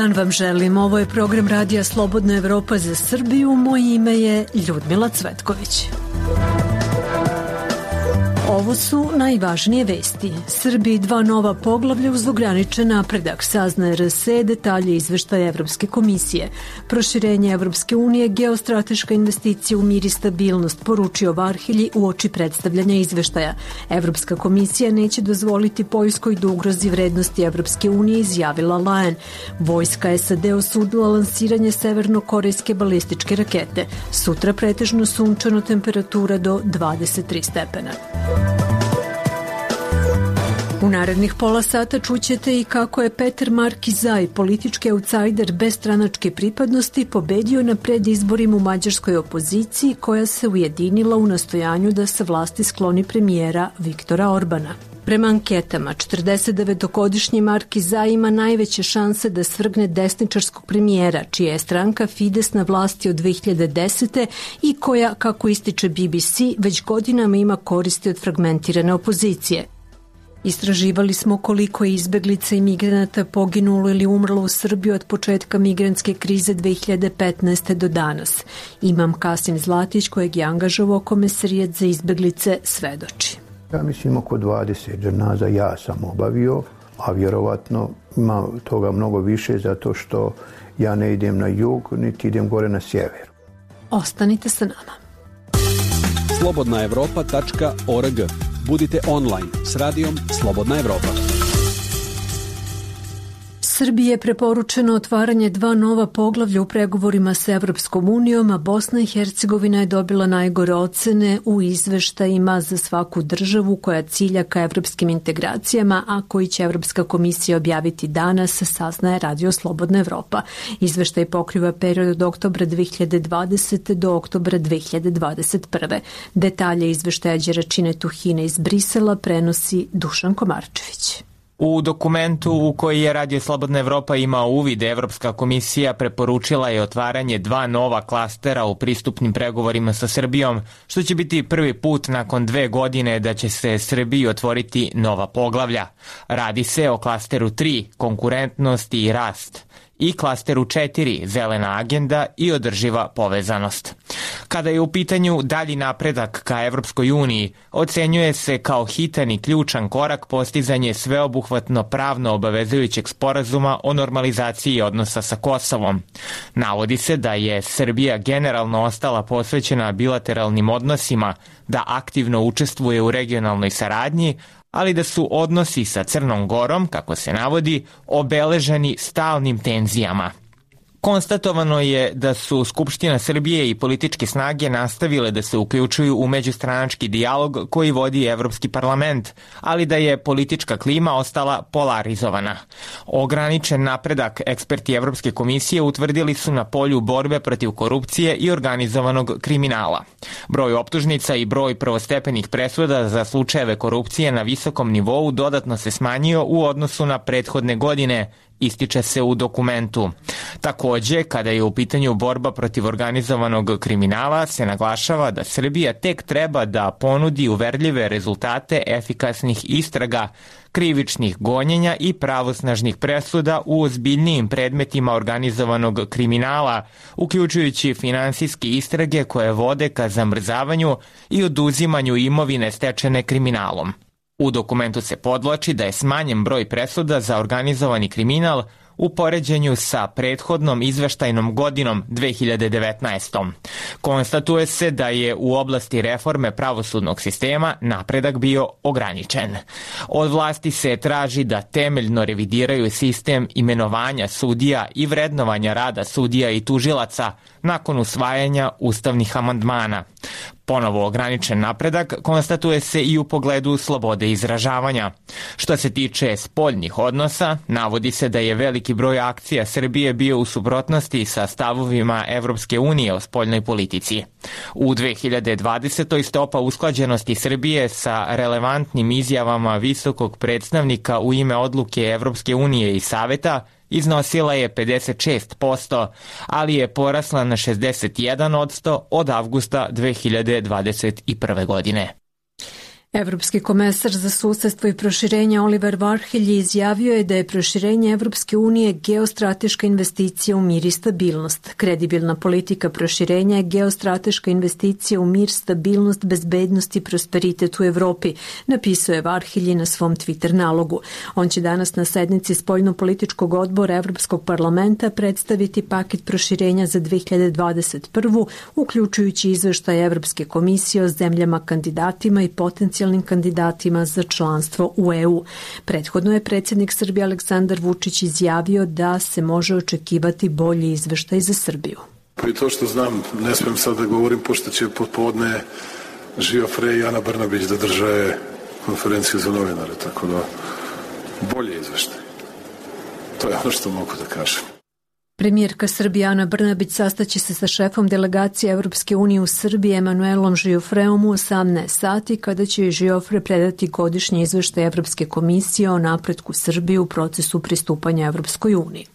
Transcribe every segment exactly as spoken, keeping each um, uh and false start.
dan vam želim. Ovo je program Radija Slobodna Evropa za Srbiju. Moje ime je Ljudmila Cvetković. Ovo su najvažnije vesti. Srbiji dva nova poglavlja uz ograničen napredak, saznaje R S E, detalje izveštaja Evropske komisije. Proširenje Evropske unije, geostrateška investicija u mir i stabilnost, poručio Varhelji u oči predstavljanja izveštaja. Evropska komisija neće dozvoliti Poljskoj da ugrozi vrednosti Evropske unije, izjavila Lajen. Vojska S A D osudila lansiranje severno-korejske balističke rakete. Sutra pretežno sunčano, temperatura do dvadeset tri stepena. U narednih pola sata čućete i kako je Petar Markizaj, politički outsider bez stranačke pripadnosti, pobedio na predizborima u mađarskoj opoziciji koja se ujedinila u nastojanju da se vlasti skloni premijera Viktora Orbana. Prema anketama, četrdesetdevetogodišnji Markizaj ima najveće šanse da svrgne desničarskog premijera, čija je stranka Fides na vlasti od dve hiljade desete i koja, kako ističe B B C, već godinama ima koristi od fragmentirane opozicije. Istraživali smo koliko je izbeglica i migranata poginulo ili umrlo u Srbiji od početka migrantske krize dve hiljade petnaeste. do danas. Imam Kasim Zlatić, kojeg je angažovao Komesarijat za izbeglice, svedoči. Ja mislim oko dvadeset dženaza ja sam obavio, a vjerovatno ima toga mnogo više zato što ja ne idem na jug, niti idem gore na sjever. Ostanite sa nama. slobodna evropa tačka org. Budite online s radijom Slobodna Evropa. Srbiji je preporučeno otvaranje dva nova poglavlja u pregovorima s Evropskom unijom, a Bosna i Hercegovina je dobila najgore ocene u izveštajima za svaku državu koja cilja ka evropskim integracijama, a koji će Evropska komisija objaviti danas, saznaje Radio Slobodna Evropa. Izveštaj pokriva period od oktobra dve hiljade dvadesete. do oktobra dve hiljade dvadeset prve. Detalje izveštaja Đeračine Tuhine iz Brisela prenosi Dušan Komarčević. U dokumentu u koji je Radio Slobodna Evropa imao uvid, Evropska komisija preporučila je otvaranje dva nova klastera u pristupnim pregovorima sa Srbijom, što će biti prvi put nakon dve godine da će se Srbiji otvoriti nova poglavlja. Radi se o klasteru tri, konkurentnost i rast, i klasteru četiri, zelena agenda i održiva povezanost. Kada je u pitanju dalji napredak ka Evropskoj uniji, ocenjuje se kao hitan i ključan korak postizanje sveobuhvatno pravno obavezujućeg sporazuma o normalizaciji odnosa sa Kosovom. Navodi se da je Srbija generalno ostala posvećena bilateralnim odnosima, da aktivno učestvuje u regionalnoj saradnji, ali da su odnosi sa Crnom Gorom, kako se navodi, obeleženi stalnim tenzijama. Konstatovano je da su Skupština Srbije i političke snage nastavile da se uključuju u međustranački dijalog koji vodi Evropski parlament, ali da je politička klima ostala polarizovana. Ograničen napredak eksperti Evropske komisije utvrdili su na polju borbe protiv korupcije i organizovanog kriminala. Broj optužnica i broj prvostepenih presuda za slučajeve korupcije na visokom nivou dodatno se smanjio u odnosu na prethodne godine, ističe se u dokumentu. Takođe, kada je u pitanju borba protiv organizovanog kriminala, se naglašava da Srbija tek treba da ponudi uverljive rezultate efikasnih istraga, krivičnih gonjenja i pravosnažnih presuda u ozbiljnijim predmetima organizovanog kriminala, uključujući finansijske istrage koje vode ka zamrzavanju i oduzimanju imovine stečene kriminalom. U dokumentu se podvlači da je smanjen broj presuda za organizovani kriminal u poređenju sa prethodnom izveštajnom godinom dve hiljade devetnaestom. Konstatuje se da je u oblasti reforme pravosudnog sistema napredak bio ograničen. Od vlasti se traži da temeljno revidiraju sistem imenovanja sudija i vrednovanja rada sudija i tužilaca nakon usvajanja ustavnih amandmana. Ponovo ograničen napredak konstatuje se i u pogledu slobode izražavanja. Što se tiče spoljnih odnosa, navodi se da je veliki broj akcija Srbije bio u suprotnosti sa stavovima Evropske unije o spoljnoj politici. U dve hiljade dvadesetoj. stopa usklađenosti Srbije sa relevantnim izjavama visokog predstavnika u ime odluke Evropske unije i Saveta iznosila je pedeset šest posto, ali je porasla na šezdeset jedan posto od avgusta dve hiljade dvadeset prve. godine. Evropski komesar za susedstvo i proširenje Oliver Varhelji izjavio je da je proširenje Evropske unije geostrateška investicija u mir i stabilnost. Kredibilna politika proširenja je geostrateška investicija u mir, stabilnost, bezbednost i prosperitet u Evropi, napisao je Varhelji na svom Twitter nalogu. On će danas na sednici spoljnopolitičkog odbora Evropskog parlamenta predstaviti paket proširenja za dve hiljade dvadeset prvu, uključujući izveštaj Evropske komisije o zemljama kandidatima i potencijalnim kandidatima za članstvo u E U. Prethodno je predsjednik Srbije Aleksandar Vučić izjavio da se može očekivati bolji izveštaj za Srbiju. I to što znam, ne smijem sad da govorim, pošto će popodne Žio Frej i Ana Brnabić da drže konferenciju za novinare, tako da bolji izveštaj. To je ono što mogu da kažem. Premijerka Srbije Ana Brnabić sastaće se sa šefom delegacije Evropske unije u Srbiji Emanuelom Žiofreom u osamnaest sati, kada će Žiofre predati godišnji izveštaj Evropske komisije o napretku Srbije u procesu pristupanja Evropskoj uniji.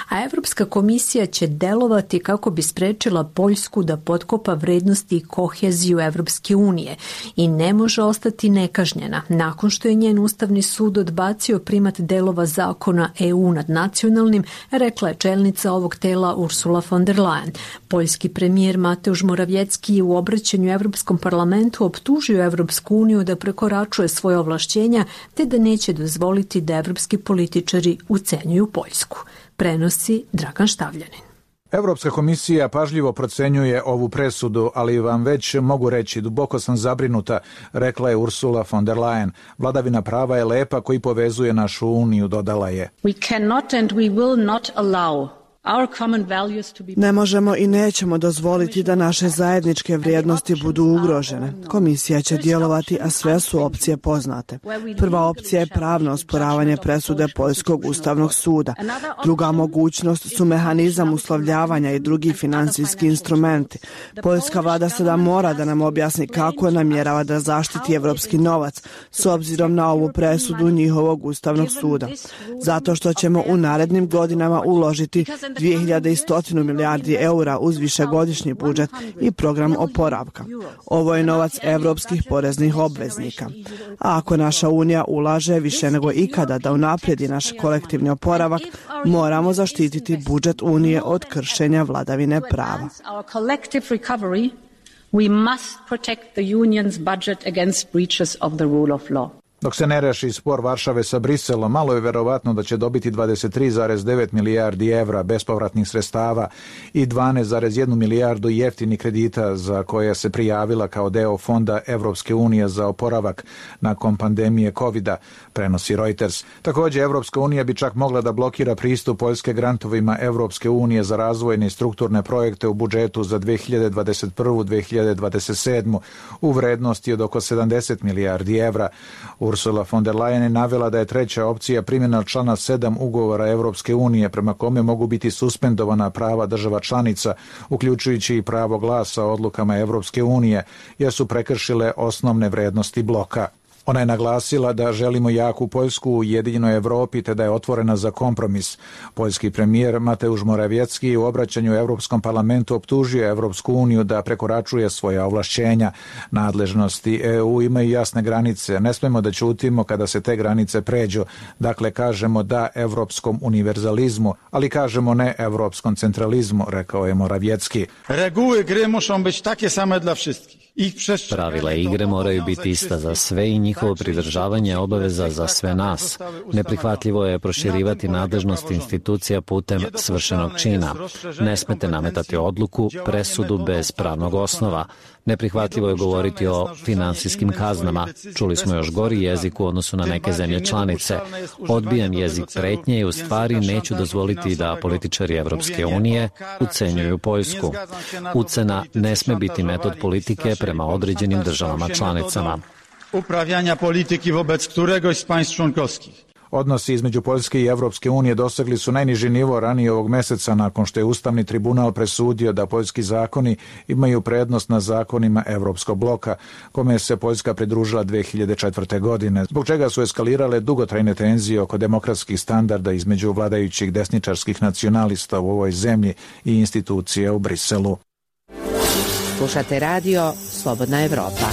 A Evropska komisija će delovati kako bi sprečila Poljsku da potkopa vrednosti i koheziju Evropske unije i ne može ostati nekažnjena nakon što je njen Ustavni sud odbacio primat delova zakona E U nad nacionalnim, rekla je čelnica ovog tela Ursula von der Leyen. Poljski premijer Mateusz Morawiecki je u obraćanju Evropskom parlamentu optužio Evropsku uniju da prekoračuje svoje ovlašćenja te da neće dozvoliti da evropski političari ucenjuju Poljsku. Prenosi Dragan Štavljanin. Evropska komisija pažljivo procenjuje ovu presudu, ali vam već mogu reći, duboko sam zabrinuta, rekla je Ursula von der Leyen. Vladavina prava je lepa koji povezuje našu uniju, dodala je. We cannot and we will not allow Ne možemo i nećemo dozvoliti da naše zajedničke vrijednosti budu ugrožene. Komisija će djelovati, a sve su opcije poznate. Prva opcija je pravno osporavanje presude Poljskog ustavnog suda. Druga mogućnost su mehanizam uslovljavanja i drugi finansijski instrumenti. Poljska vlada sada mora da nam objasni kako namjerava da zaštiti evropski novac s obzirom na ovu presudu njihovog ustavnog suda. Zato što ćemo u narednim godinama uložiti dvije hiljade sto milijardi eura uz višegodišnji budžet i program oporavka. Ovo je novac evropskih poreznih obveznika. A ako naša unija ulaže više nego ikada da unaprijedi naš kolektivni oporavak, moramo zaštititi budžet unije od kršenja vladavine prava. We must protect the union's budget against breaches of the rule of law. Dok se ne reši spor Varšave sa Briselom, malo je verovatno da će dobiti dvadeset tri zarez devet milijardi evra bespovratnih sredstava i dvanaest zarez jedna milijardu jeftinih kredita za koje se prijavila kao deo fonda Evropske unije za oporavak nakon pandemije kovida, prenosi Reuters. Također, Evropska unija bi čak mogla da blokira pristup Poljske grantovima Evropske unije za razvojne i strukturne projekte u budžetu za dve hiljade dvadeset prvu do dve hiljade dvadeset sedmu u vrednosti od oko sedamdeset milijardi evra. Ursula von der Leyen je navela da je treća opcija primjena člana sedam ugovora Evropske unije prema kome mogu biti suspendovana prava država članica, uključujući i pravo glasa odlukama Evropske unije, jer su prekršile osnovne vrednosti bloka. Ona je naglasila da želimo jaku Poljsku u ujedinjenoj Evropi te da je otvorena za kompromis. Poljski premijer Mateusz Morawiecki u obraćanju Evropskom parlamentu optužio Evropsku uniju da prekoračuje svoja ovlašćenja. Nadležnosti E U imaju jasne granice. Ne smemo da ćutimo kada se te granice pređu. Dakle, kažemo da evropskom univerzalizmu, ali kažemo ne evropskom centralizmu, rekao je Morawiecki. Reguły gry muszą być takie same dla wszystkich. Pravila igre moraju biti ista za sve i njihovo pridržavanje obaveza za sve nas. Neprihvatljivo je proširivati nadležnost institucija putem svršenog čina. Ne smete nametati odluku, presudu bez pravnog osnova. Neprihvatljivo je govoriti o finansijskim kaznama. Čuli smo još gori jezik u odnosu na neke zemlje članice. Odbijam jezik pretnje i u stvari neću dozvoliti da političari Evropske unije ucenjuju Poljsku. Ucena ne sme biti metod politike prema određenim državama članicama. Upravljanja politike wobec któregoś z państw członkowskich. Odnosi između Poljske i Evropske unije dosegli su najniži nivo ranije ovog meseca nakon što je Ustavni tribunal presudio da poljski zakoni imaju prednost na zakonima Evropskog bloka, kome se Poljska pridružila dve hiljade četvrte. godine, zbog čega su eskalirale dugotrajne tenzije oko demokratskih standarda između vladajućih desničarskih nacionalista u ovoj zemlji i institucije u Briselu. Slušate radio Slobodna Evropa.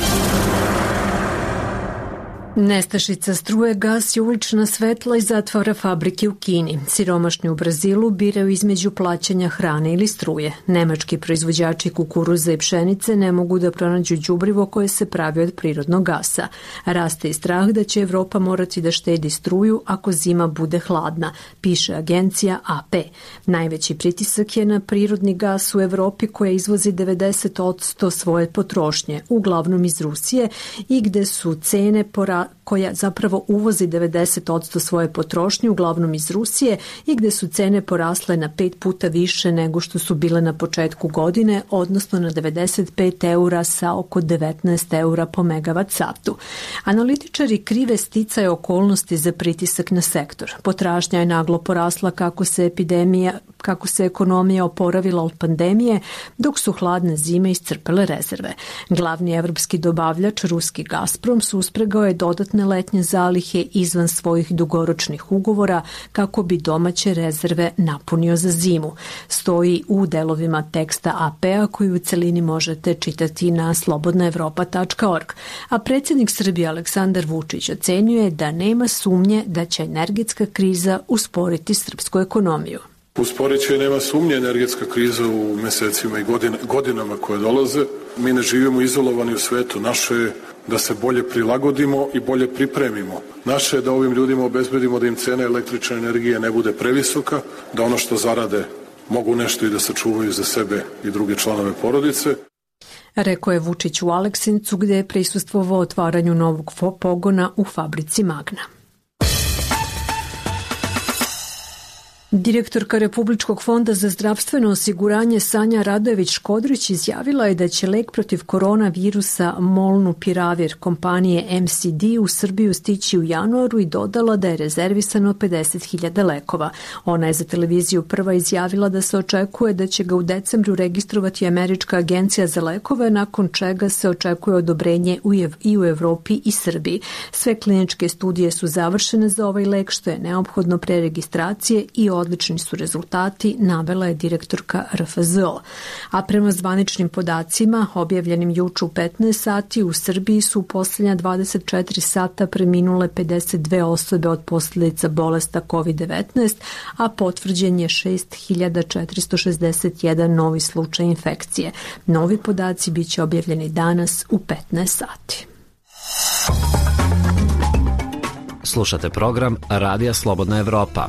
Nestašica struje gasi ulična svetla i zatvara fabrike u Kini. Siromašni u Brazilu biraju između plaćanja hrane ili struje. Nemački proizvođači kukuruza i pšenice ne mogu da pronađu đubrivo koje se pravi od prirodnog gasa. Raste i strah da će Evropa morati da štedi struju ako zima bude hladna, piše agencija A P. Najveći pritisak je na prirodni gas u Evropi koja izvozi devedeset posto svoje potrošnje, uglavnom iz Rusije i gde su cene pora koja zapravo uvozi devedeset posto svoje potrošnje, uglavnom iz Rusije, i gde su cene porasle na pet puta više nego što su bile na početku godine, odnosno na devedeset pet eura sa oko devetnaest eura po megavat satu. Analitičari krive sticaje okolnosti za pritisak na sektor. Potražnja je naglo porasla kako se epidemija kako se ekonomija oporavila od pandemije, dok su hladne zime iscrpele rezerve. Glavni evropski dobavljač, ruski Gazprom, suspregao je dodatne letnje zalihe izvan svojih dugoročnih ugovora kako bi domaće rezerve napunio za zimu. Stoji u delovima teksta A P-a koji u celini možete čitati na slobodna evropa tačka org. A predsjednik Srbije Aleksandar Vučić ocenjuje da nema sumnje da će energetska kriza usporiti srpsku ekonomiju. Usporit će, nema sumnje, energetska kriza u mesecima i godin, godinama koje dolaze. Mi ne živimo izolovani u svetu. Naše je da se bolje prilagodimo i bolje pripremimo. Naše je da ovim ljudima obezbedimo da im cena električne energije ne bude previsoka, da ono što zarade mogu nešto i da sačuvaju za sebe i druge članove porodice. Rekao je Vučić u Aleksincu gde je prisustvovao otvaranju novog pogona u fabrici Magna. Direktorka Republičkog fonda za zdravstveno osiguranje Sanja Radojević-Škodrić izjavila je da će lek protiv koronavirusa Molnupiravir kompanije M C D u Srbiju stići u januaru i dodala da je rezervisano pedeset hiljada lekova. Ona je za televiziju Prva izjavila da se očekuje da će ga u decembru registrovati Američka agencija za lekove, nakon čega se očekuje odobrenje i u Evropi i Srbiji. Sve kliničke studije su završene za ovaj lek, što je neophodno pre registracije i odlični su rezultati, navela je direktorka R F Z O. A prema zvaničnim podacima, objavljenim juče u petnaest sati, u Srbiji su u posljednja dvadeset četiri sata preminule pedeset dve osobe od posljedica bolesta kovid devetnaest, a potvrđen je šest hiljada četiristo šezdeset jedan novi slučaj infekcije. Novi podaci biće objavljeni danas u petnaest sati. Slušate program Radija Slobodna Evropa.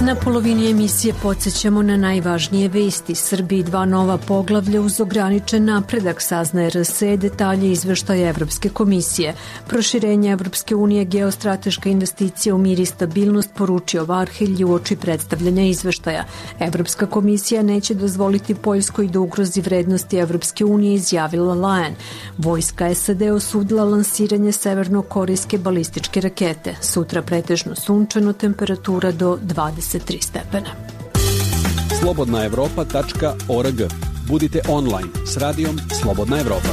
Na polovini emisije podsjećamo na najvažnije vesti. Srbiji dva nova poglavlja uz ograničen napredak, saznaje R S E, detalje izveštaja Evropske komisije. Proširenje Evropske unije, geostrateška investicija u mir i stabilnost, poručio Varhelj uoči predstavljanja izveštaja. Evropska komisija neće dozvoliti Poljskoj da ugrozi vrednosti Evropske unije, izjavila Lajen. Vojska S A D osudila lansiranje severno-korejske balističke rakete. Sutra pretežno sunčano, temperatura do dvadeset tri stepena. slobodna evropa tačka org. Budite online s radijom Slobodna Evropa.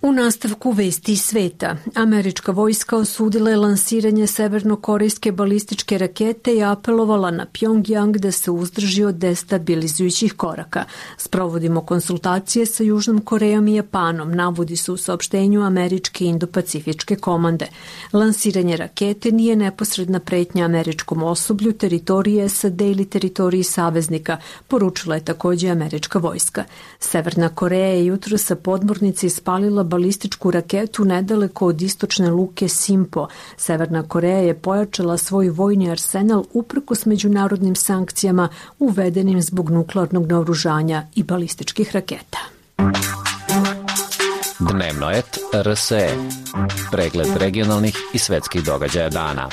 U nastavku vesti iz sveta, američka vojska osudila je lansiranje severno-korejske balističke rakete i apelovala na Pjongjang da se uzdrži od destabilizujućih koraka. Sprovodimo konsultacije sa Južnom Korejom i Japanom, navodi se u saopštenju američke Indo-Pacifičke komande. Lansiranje rakete nije neposredna pretnja američkom osoblju, teritoriji S A D ili teritoriji saveznika, poručila je takođe američka vojska. Severna Koreja je jutro sa podmornice ispalila balističku raketu nedaleko od istočne luke Simpo. Severna Koreja je pojačala svoj vojni arsenal uprkos međunarodnim sankcijama uvedenim zbog nuklearnog naoružanja i balističkih raketa. Dnevno et R S E. Pregled regionalnih i svetskih događaja dana.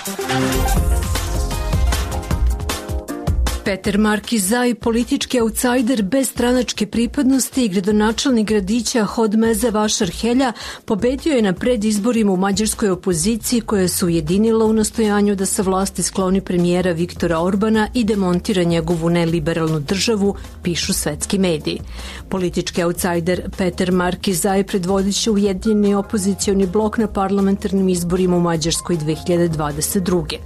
Peter Markizaj, politički outsider bez stranačke pripadnosti i gradonačelnik gradića Hodmeze Vašar-Helja, pobedio je na predizborima u mađarskoj opoziciji koja se ujedinila u nastojanju da sa vlasti skloni premijera Viktora Orbana i demontira njegovu neliberalnu državu, pišu svetski mediji. Politički outsider Peter Markizaj predvodit će ujedinjeni opozicioni blok na parlamentarnim izborima u Mađarskoj dve hiljade dvadeset druge.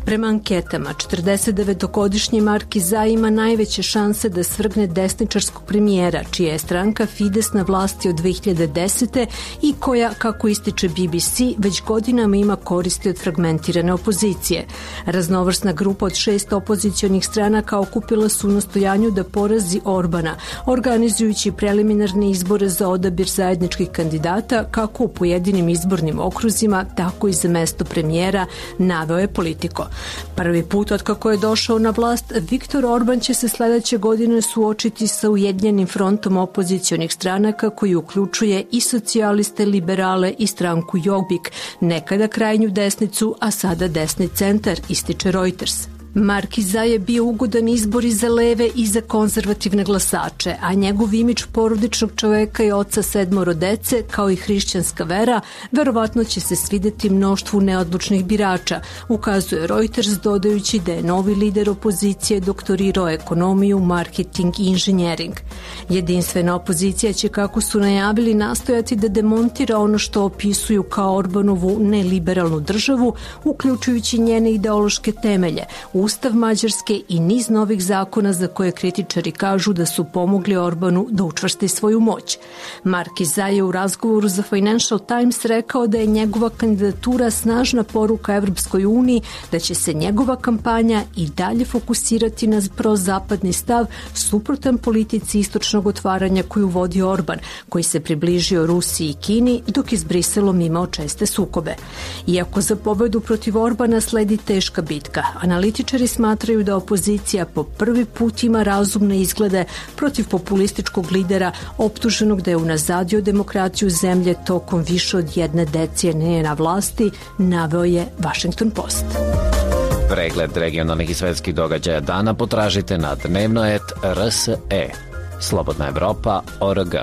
Prema anketama, četrdesetdevetogodišnji Marki Zaj ima najveće šanse da svrgne desničarskog premijera, čija je stranka Fides na vlasti od dve hiljade desete i koja, kako ističe B B C, već godinama ima koristi od fragmentirane opozicije. Raznovrsna grupa od šest opozicionih stranaka okupila su u nastojanju da porazi Orbana, organizujući preliminarne izbore za odabir zajedničkih kandidata kako u pojedinim izbornim okruzima, tako i za mesto premijera, naveo je Politico. Prvi put od kako je došao na vlast, Viktor Orban će se sledeće godine suočiti sa Ujedinjenim frontom opozicionih stranaka koji uključuje i socijaliste, liberale i stranku Jobbik, nekada krajnju desnicu, a sada desni centar, ističe Reuters. Marki Zaj je bio ugodan izbor i za leve i za konzervativne glasače, a njegov imidž porodičnog čoveka i oca sedmoro dece, kao i hrišćanska vera, verovatno će se svideti mnoštvu neodlučnih birača, ukazuje Reuters, dodajući da je novi lider opozicije doktorirao ekonomiju, marketing i inženjering. Jedinstvena opozicija će, kako su najavili, nastojati da demontira ono što opisuju kao Orbanovu neliberalnu državu, uključujući njene ideološke temelje, Ustav Mađarske i niz novih zakona za koje kritičari kažu da su pomogli Orbanu da učvrsti svoju moć. Marki Zaj je u razgovoru za Financial Times rekao da je njegova kandidatura snažna poruka Evropskoj uniji, da će se njegova kampanja i dalje fokusirati na prozapadni stav suprotan politici istočnog otvaranja koju vodi Orban, koji se približio Rusiji i Kini, dok je s Briselom imao česte sukobe. Iako za pobedu protiv Orbana sledi teška bitka, analitičari smatraju da opozicija po prvi put ima razumne izglede protiv populističkog lidera optuženog da je unazadio demokraciju zemlje tokom više od jedne decenije na vlasti, naveo je Washington Post. Pregled regionalnih i svetskih događaja dana potražite na dnevnoet R S E. Slobodna Evropa точка org.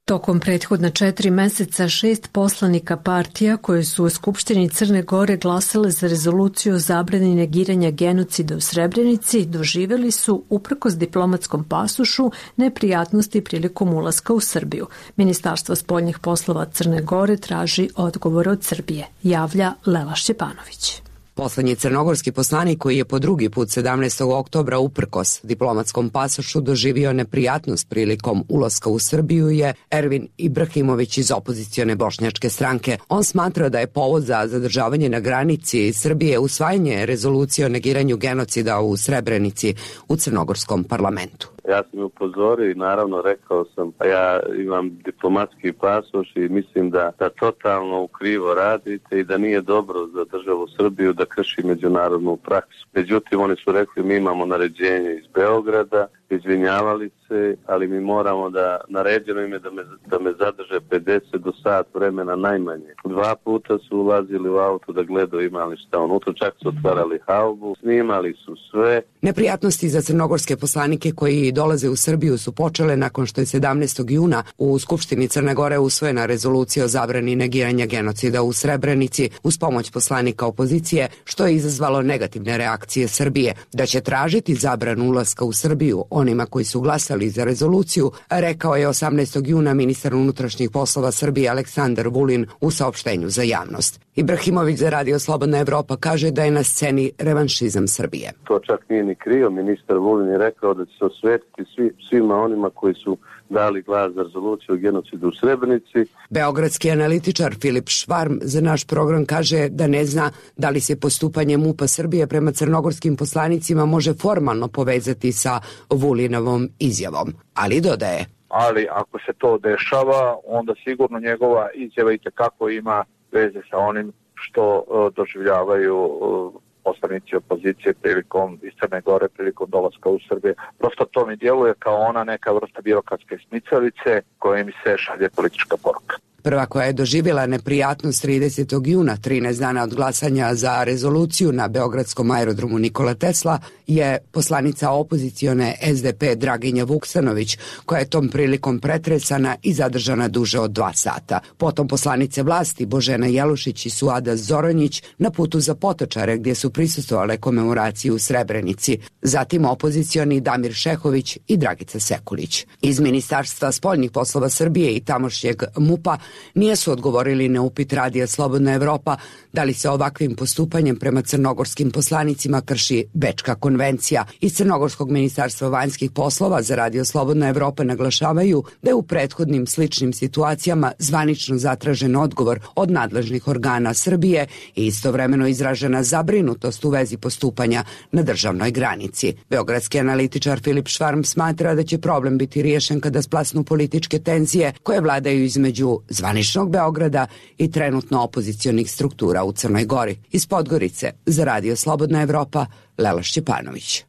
Tokom prethodna četiri meseca šest poslanika partija koje su u Skupštini Crne Gore glasale za rezoluciju o zabrani negiranja genocida u Srebrenici doživeli su, uprkos diplomatskom pasošu, neprijatnosti prilikom ulaska u Srbiju. Ministarstvo spoljnih poslova Crne Gore traži odgovor od Srbije, javlja Lela Šćepanović. Poslednji crnogorski poslanik koji je po drugi put sedamnaestog oktobra uprkos diplomatskom pasošu doživio neprijatnost prilikom ulaska u Srbiju je Ervin Ibrahimović iz opozicione bošnjačke stranke. On smatra da je povod za zadržavanje na granici Srbije usvajanje rezolucije o negiranju genocida u Srebrenici u crnogorskom parlamentu. Ja sam upozorio i naravno rekao sam, a ja imam diplomatski pasoš i mislim da, da totalno ukrivo radite i da nije dobro za državu Srbiju da krši međunarodnu praksu. Međutim, oni su rekli mi imamo naređenje iz Beograda, izvinjavali se, ali mi moramo da, naređeno im je da me, da me zadrže pedeset do sat vremena najmanje. Dva puta su ulazili u auto da gledaju imali šta unutra, čak su otvarali haubu, snimali su sve. Neprijatnosti za crnogorske poslanike koji dolaze u Srbiju su počele nakon što je sedamnaestog juna u Skupštini Crne Gore usvojena rezolucija o zabrani negiranja genocida u Srebrenici uz pomoć poslanika opozicije, što je izazvalo negativne reakcije Srbije. Da će tražiti zabranu ulaska u Srbiju onima koji su glasali za rezoluciju, rekao je osamnaestog juna ministar unutrašnjih poslova Srbije Aleksandar Vulin u saopštenju za javnost. Ibrahimović za Radio Slobodna Evropa kaže da je na sceni revanšizam Srbije. To čak nije ni krio, ministar Vulin je rekao da će se osvetiti svi, svima onima koji su dali glas za rezoluciju o genocidu u Srebrenici. Beogradski analitičar Filip Švarm za naš program kaže da ne zna da li se postupanje MUP-a Srbije prema crnogorskim poslanicima može formalno povezati sa Vulinovom izjavom, ali dodaje. Ali ako se to dešava, onda sigurno njegova izjava itekako ima veze sa onim što uh, doživljavaju uh, poslanici opozicije prilikom iz Crne Gore, prilikom dolaska u Srbije. Prosto to mi djeluje kao ona neka vrsta birokratske smicalice koja mi se šalje politička poruka. Prva koja je doživjela neprijatnost tridesetog juna, trinaest dana od glasanja za rezoluciju na beogradskom aerodromu Nikola Tesla, je poslanica opozicione S D P Draginja Vuksanović, koja je tom prilikom pretresana i zadržana duže od dva sata. Potom poslanice vlasti Božena Jelušić i Suada Zoranjić na putu za Potočare gdje su prisustvovale komemoraciji u Srebrenici. Zatim opozicioni Damir Šehović i Dragica Sekulić. Iz Ministarstva spoljnih poslova Srbije i tamošnjeg MUP-a nisu odgovorili na upit Radija Slobodna Evropa da li se ovakvim postupanjem prema crnogorskim poslanicima krši Bečka konvencija. Iz Crnogorskog ministarstva vanjskih poslova za Radio Slobodna Evropa naglašavaju da je u prethodnim sličnim situacijama zvanično zatražen odgovor od nadležnih organa Srbije i istovremeno izražena zabrinutost u vezi postupanja na državnoj granici. Beogradski analitičar Filip Švarm smatra da će problem biti riješen kada splasnu političke tenzije koje vladaju između zvaničnog Beograda i trenutno opozicionih struktura u Crnoj Gori. Iz Podgorice za Radio Slobodna Evropa, Lela Šćepanović.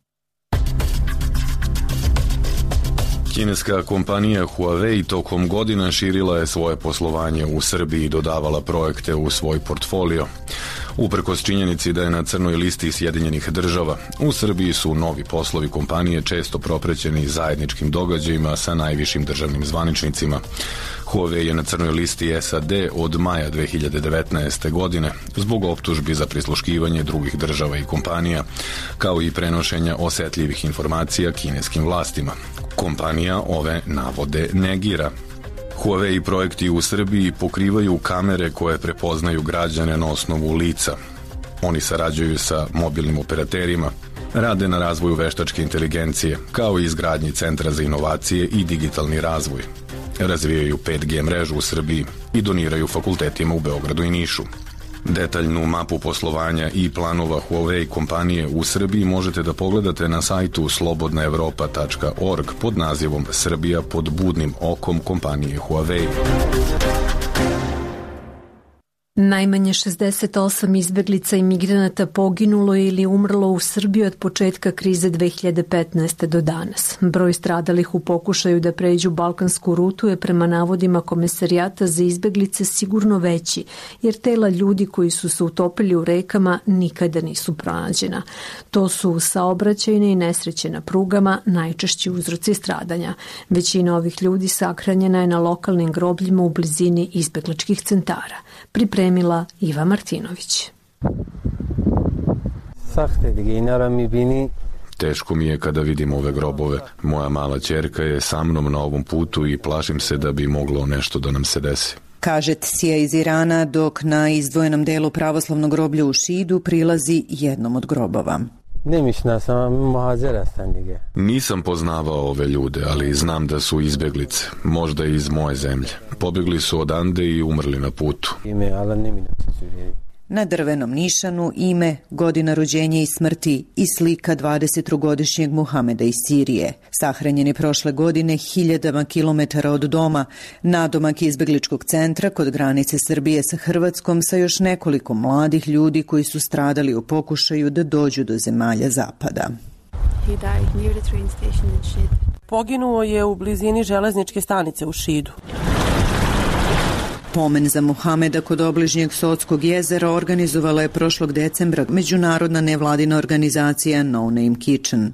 Kineska kompanija Huawei tokom godina širila je svoje poslovanje u Srbiji i dodavala projekte u svoj portfolio. Uprkos činjenici da je na crnoj listi Sjedinjenih država, u Srbiji su novi poslovi kompanije često proprećeni zajedničkim događajima sa najvišim državnim zvaničnicima. Huawei je na crnoj listi S A D od maja dve hiljade devetnaeste. godine zbog optužbi za prisluškivanje drugih država i kompanija, kao i prenošenja osetljivih informacija kineskim vlastima. Kompanija ove navode negira. Huawei projekti u Srbiji pokrivaju kamere koje prepoznaju građane na osnovu lica. Oni sarađuju sa mobilnim operaterima, rade na razvoju veštačke inteligencije, kao i izgradnji Centra za inovacije i digitalni razvoj. Razvijaju pet G mrežu u Srbiji i doniraju fakultetima u Beogradu i Nišu. Detaljnu mapu poslovanja i planova Huawei kompanije u Srbiji možete da pogledate na sajtu slobodna evropa tačka org pod nazivom Srbija pod budnim okom kompanije Huawei. Najmanje šezdeset osam izbeglica i migranata poginulo ili umrlo u Srbiji od početka krize dve hiljade petnaeste. do danas. Broj stradalih u pokušaju da pređu balkansku rutu je prema navodima Komesarijata za izbeglice sigurno veći, jer tela ljudi koji su se utopili u rekama nikada nisu pronađena. To su saobraćajne i nesreće na prugama najčešći uzroci stradanja. Većina ovih ljudi sahranjena je na lokalnim grobljima u blizini izbegličkih centara. Pripremila Iva Martinović. Teško mi je kada vidim ove grobove. Moja mala ćerka je sa mnom na ovom putu i plašim se da bi moglo nešto da nam se desi. Kaže Tsija iz Irana, dok na izdvojenom delu pravoslavnog groblja u Šidu prilazi jednom od grobova. Nisam poznavao ove ljude, ali znam da su izbeglice, možda iz moje zemlje. Pobjegli su odande i umrli na putu. Na drvenom nišanu ime, godina rođenja i smrti i slika dvadesettrogodišnjeg Muhameda iz Sirije. Sahranjen je prošle godine hiljadama kilometara od doma, nadomak izbegličkog centra kod granice Srbije sa Hrvatskom sa još nekoliko mladih ljudi koji su stradali u pokušaju da dođu do zemalja zapada. Poginuo je u blizini železničke stanice u Šidu. Pomen za Muhameda kod obližnjeg Sotskog jezera organizovala je prošlog decembra međunarodna nevladina organizacija No Name Kitchen.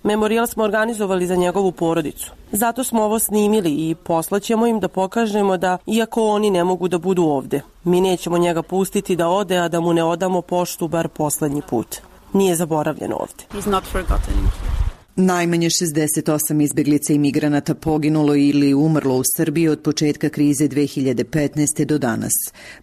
Memorijal smo organizovali za njegovu porodicu. Zato smo ovo snimili i poslaćemo im da pokažemo da, iako oni ne mogu da budu ovde, mi nećemo njega pustiti da ode, a da mu ne odamo poštu bar poslednji put. Nije zaboravljen ovde. He's not forgotten. Najmanje šezdeset osam izbeglica i migranata poginulo ili umrlo u Srbiji od početka krize dve hiljade petnaeste. do danas.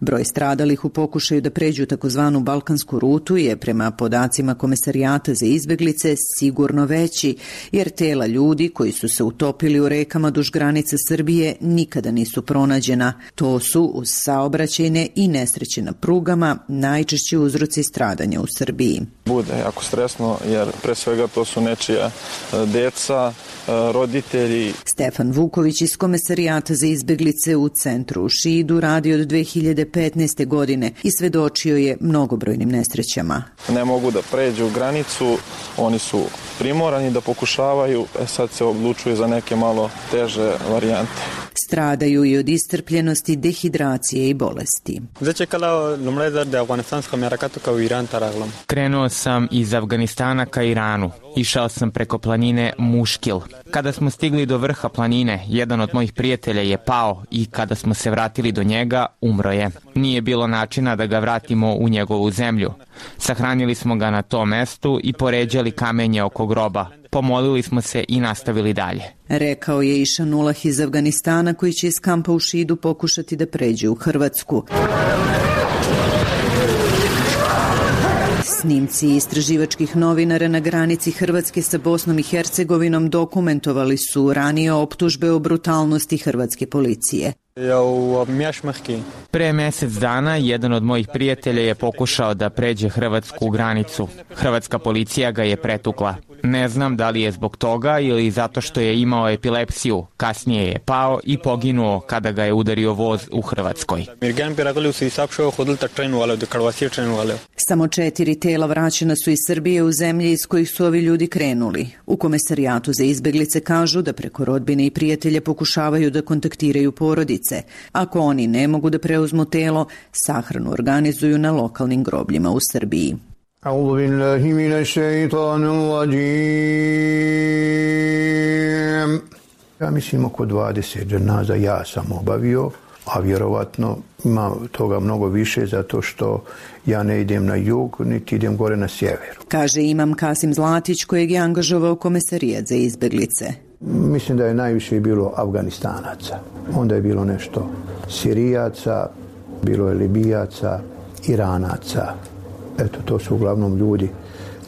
Broj stradalih u pokušaju da pređu takozvanu balkansku rutu je prema podacima Komesarijata za izbeglice sigurno veći, jer tela ljudi koji su se utopili u rekama duž granice Srbije nikada nisu pronađena. To su uz saobraćajne i nesreće na prugama najčešći uzroci stradanja u Srbiji. Bude jako stresno jer pre svega to su nečija deca, roditelji. Stefan Vuković iz Komesarijata za izbeglice u centru u Šidu radi od dve hiljade petnaeste. godine i svedočio je mnogobrojnim nesrećama. Ne mogu da pređu granicu, oni su primorani da pokušavaju, e sad se odlučuju za neke malo teže varijante. Stradaju i od istrpljenosti, dehidracije i bolesti. Krenuo sam iz Afganistana ka Iranu. Išao sam preko planine Muškil. Kada smo stigli do vrha planine, jedan od mojih prijatelja je pao i kada smo se vratili do njega, umro je. Nije bilo načina da ga vratimo u njegovu zemlju. Sahranili smo ga na tom mestu i poređali kamenje oko groba. Pomolili smo se i nastavili dalje. Rekao je Išanulah iz Afganistana, koji će iz kampa u Šidu pokušati da pređe u Hrvatsku. Snimci istraživačkih novinara na granici Hrvatske sa Bosnom i Hercegovinom dokumentovali su ranije optužbe o brutalnosti hrvatske policije. Pre mjesec dana jedan od mojih prijatelja je pokušao da pređe hrvatsku granicu. Hrvatska policija ga je pretukla. Ne znam da li je zbog toga ili zato što je imao epilepsiju. Kasnije je pao i poginuo kada ga je udario voz u Hrvatskoj. Samo četiri tela vraćena su iz Srbije u zemlje iz kojih su ovi ljudi krenuli. U Komesarijatu za izbeglice kažu da preko rodbine i prijatelja pokušavaju da kontaktiraju porodice. Ako oni ne mogu da preuzmu telo, sahranu organizuju na lokalnim grobljima u Srbiji. A'udhu billahi minash shaitanir rajim. Ja mislim oko dvadeset dženaza ja sam obavio, a vjerovatno ima toga mnogo više zato što ja ne idem na jug, niti idem gore na sjever. Kaže imam Kasim Zlatić, kojeg je angažovao Komesarijat za izbeglice. Mislim da je najviše bilo Afganistanaca. Onda je bilo nešto Sirijaca, bilo je Libijaca, Iranaca. Eto, to su uglavnom ljudi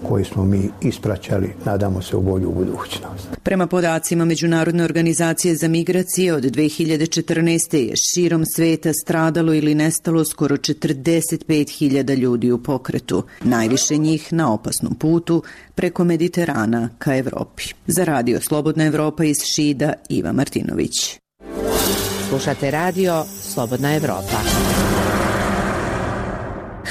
koji smo mi ispraćali, nadamo se, u bolju budućnost. Prema podacima Međunarodne organizacije za migracije, od dve hiljade četrnaeste. je širom sveta stradalo ili nestalo skoro četrdeset pet hiljada ljudi u pokretu. Najviše njih na opasnom putu preko Mediterana ka Evropi. Za radio Slobodna Evropa iz Šida, Iva Martinović. Slušate radio Slobodna Evropa.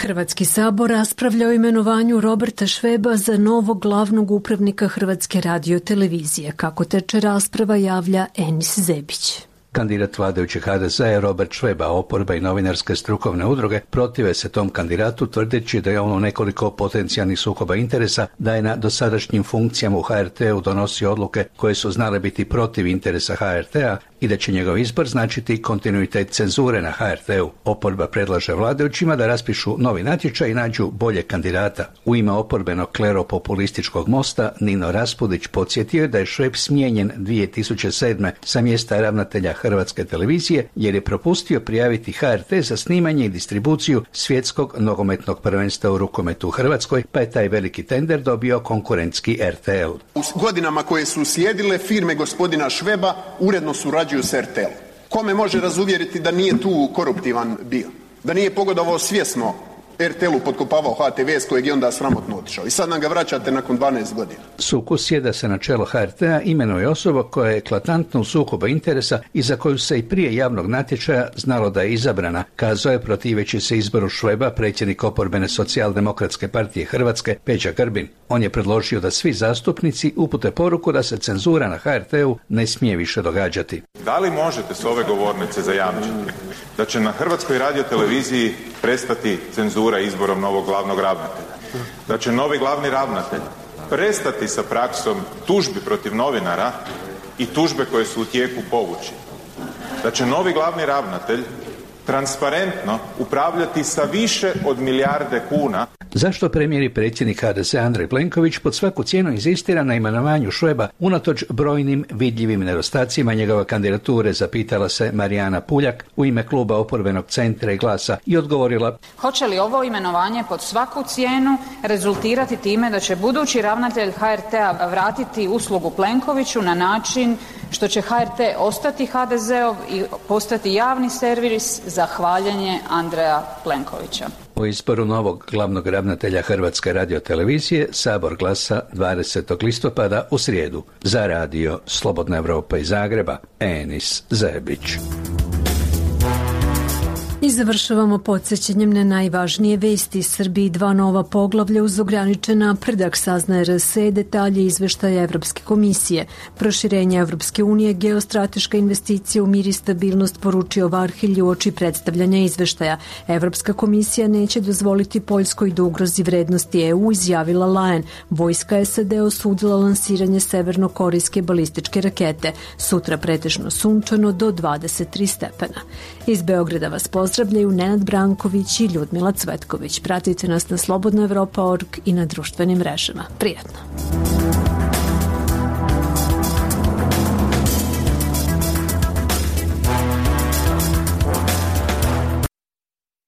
Hrvatski sabor raspravlja o imenovanju Roberta Šveba za novog glavnog upravnika Hrvatske radiotelevizije. Kako teče rasprava, javlja Enis Zebić. Kandidat vladajućeg ha de zea je Robert Šveb, a oporba i novinarske strukovne udruge protive se tom kandidatu, tvrdeći da je on u nekoliko potencijalnih sukoba interesa, da je na dosadašnjim funkcijama u ha er te u donosio odluke koje su znale biti protiv interesa ha er te-a i da će njegov izbor značiti kontinuitet cenzure na ha er te-u. Oporba predlaže vladajućima da raspišu novi natječaj i nađu bolje kandidata. U ime oporbenog klero-populističkog mosta Nino Raspudić podsjetio je da je Šveb smijenjen dvije tisuće sedme. sa mjesta ravnatelja Hrvatske televizije jer je propustio prijaviti ha er te za snimanje i distribuciju svjetskog nogometnog prvenstva u rukometu u Hrvatskoj, pa je taj veliki tender dobio konkurentski er te el. U godinama koje su slijedile, firme gospodina Šveba uredno surađuju s er te elom. Kome može razuvjeriti da nije tu koruptivan bio? Da nije pogodovao svjesno er te elu, potkopavao ha te ve s kojeg je onda sramotno otišao. I sad nam ga vraćate nakon dvanaest godina. Sukus je da se na čelo ha er te-a imenuje osoba koja je eklatantno u sukobu interesa i za koju se i prije javnog natječaja znalo da je izabrana, kazao je protiveći se izboru Šveba predsjednik oporbene socijaldemokratske partije Hrvatske Peđa Grbin. On je predložio da svi zastupnici upute poruku da se cenzura na ha er te-u ne smije više događati. Da li možete s ove govornice zajamčiti da će na Hrvatskoj radioteleviziji prestati cenzura izborom novog glavnog ravnatelja? Da će novi glavni ravnatelj prestati sa praksom tužbi protiv novinara i tužbe koje su u tijeku povući? Da će novi glavni ravnatelj transparentno upravljati sa više od milijarde kuna? Zašto premijer i predsjednik ha de zea Andrej Plenković pod svaku cijenu inzistira na imenovanju Šveba unatoč brojnim vidljivim nedostacima njegove kandidature, zapitala se Marijana Puljak u ime kluba oporbenog Centra i Glasa i odgovorila: hoće li ovo imenovanje pod svaku cijenu rezultirati time da će budući ravnatelj ha er te-a vratiti uslugu Plenkoviću na način što će ha er te ostati ha de zeov i postati javni servis za hvaljenje Andreja Plenkovića? O izboru novog glavnog ravnatelja Hrvatske radiotelevizije Sabor glasa dvadesetog listopada u srijedu. Za radio Slobodna Evropa iz Zagreba, Enis Zebić. I završavamo podsjećanjem na najvažnije vesti. Srbiji dva nova poglavlja uz ograničen napredak, saznaje er es e, detalje izveštaja Evropske komisije. Proširenje Evropske unije, geostrateška investicija u mir i stabilnost, poručio Varhelj u oči predstavljanja izveštaja. Evropska komisija neće dozvoliti Poljskoj da ugrozi vrednosti e u, izjavila Lajen. Vojska es a de osudila lansiranje severno-korejske balističke rakete. Sutra pretežno sunčano do dvadeset tri stepena. Iz Beograda vas pozdravljaju Nenad Branković i Ljudmila Cvetković. Pratite nas na slobodna evropa tačka org i na društvenim mrežama. Prijatno!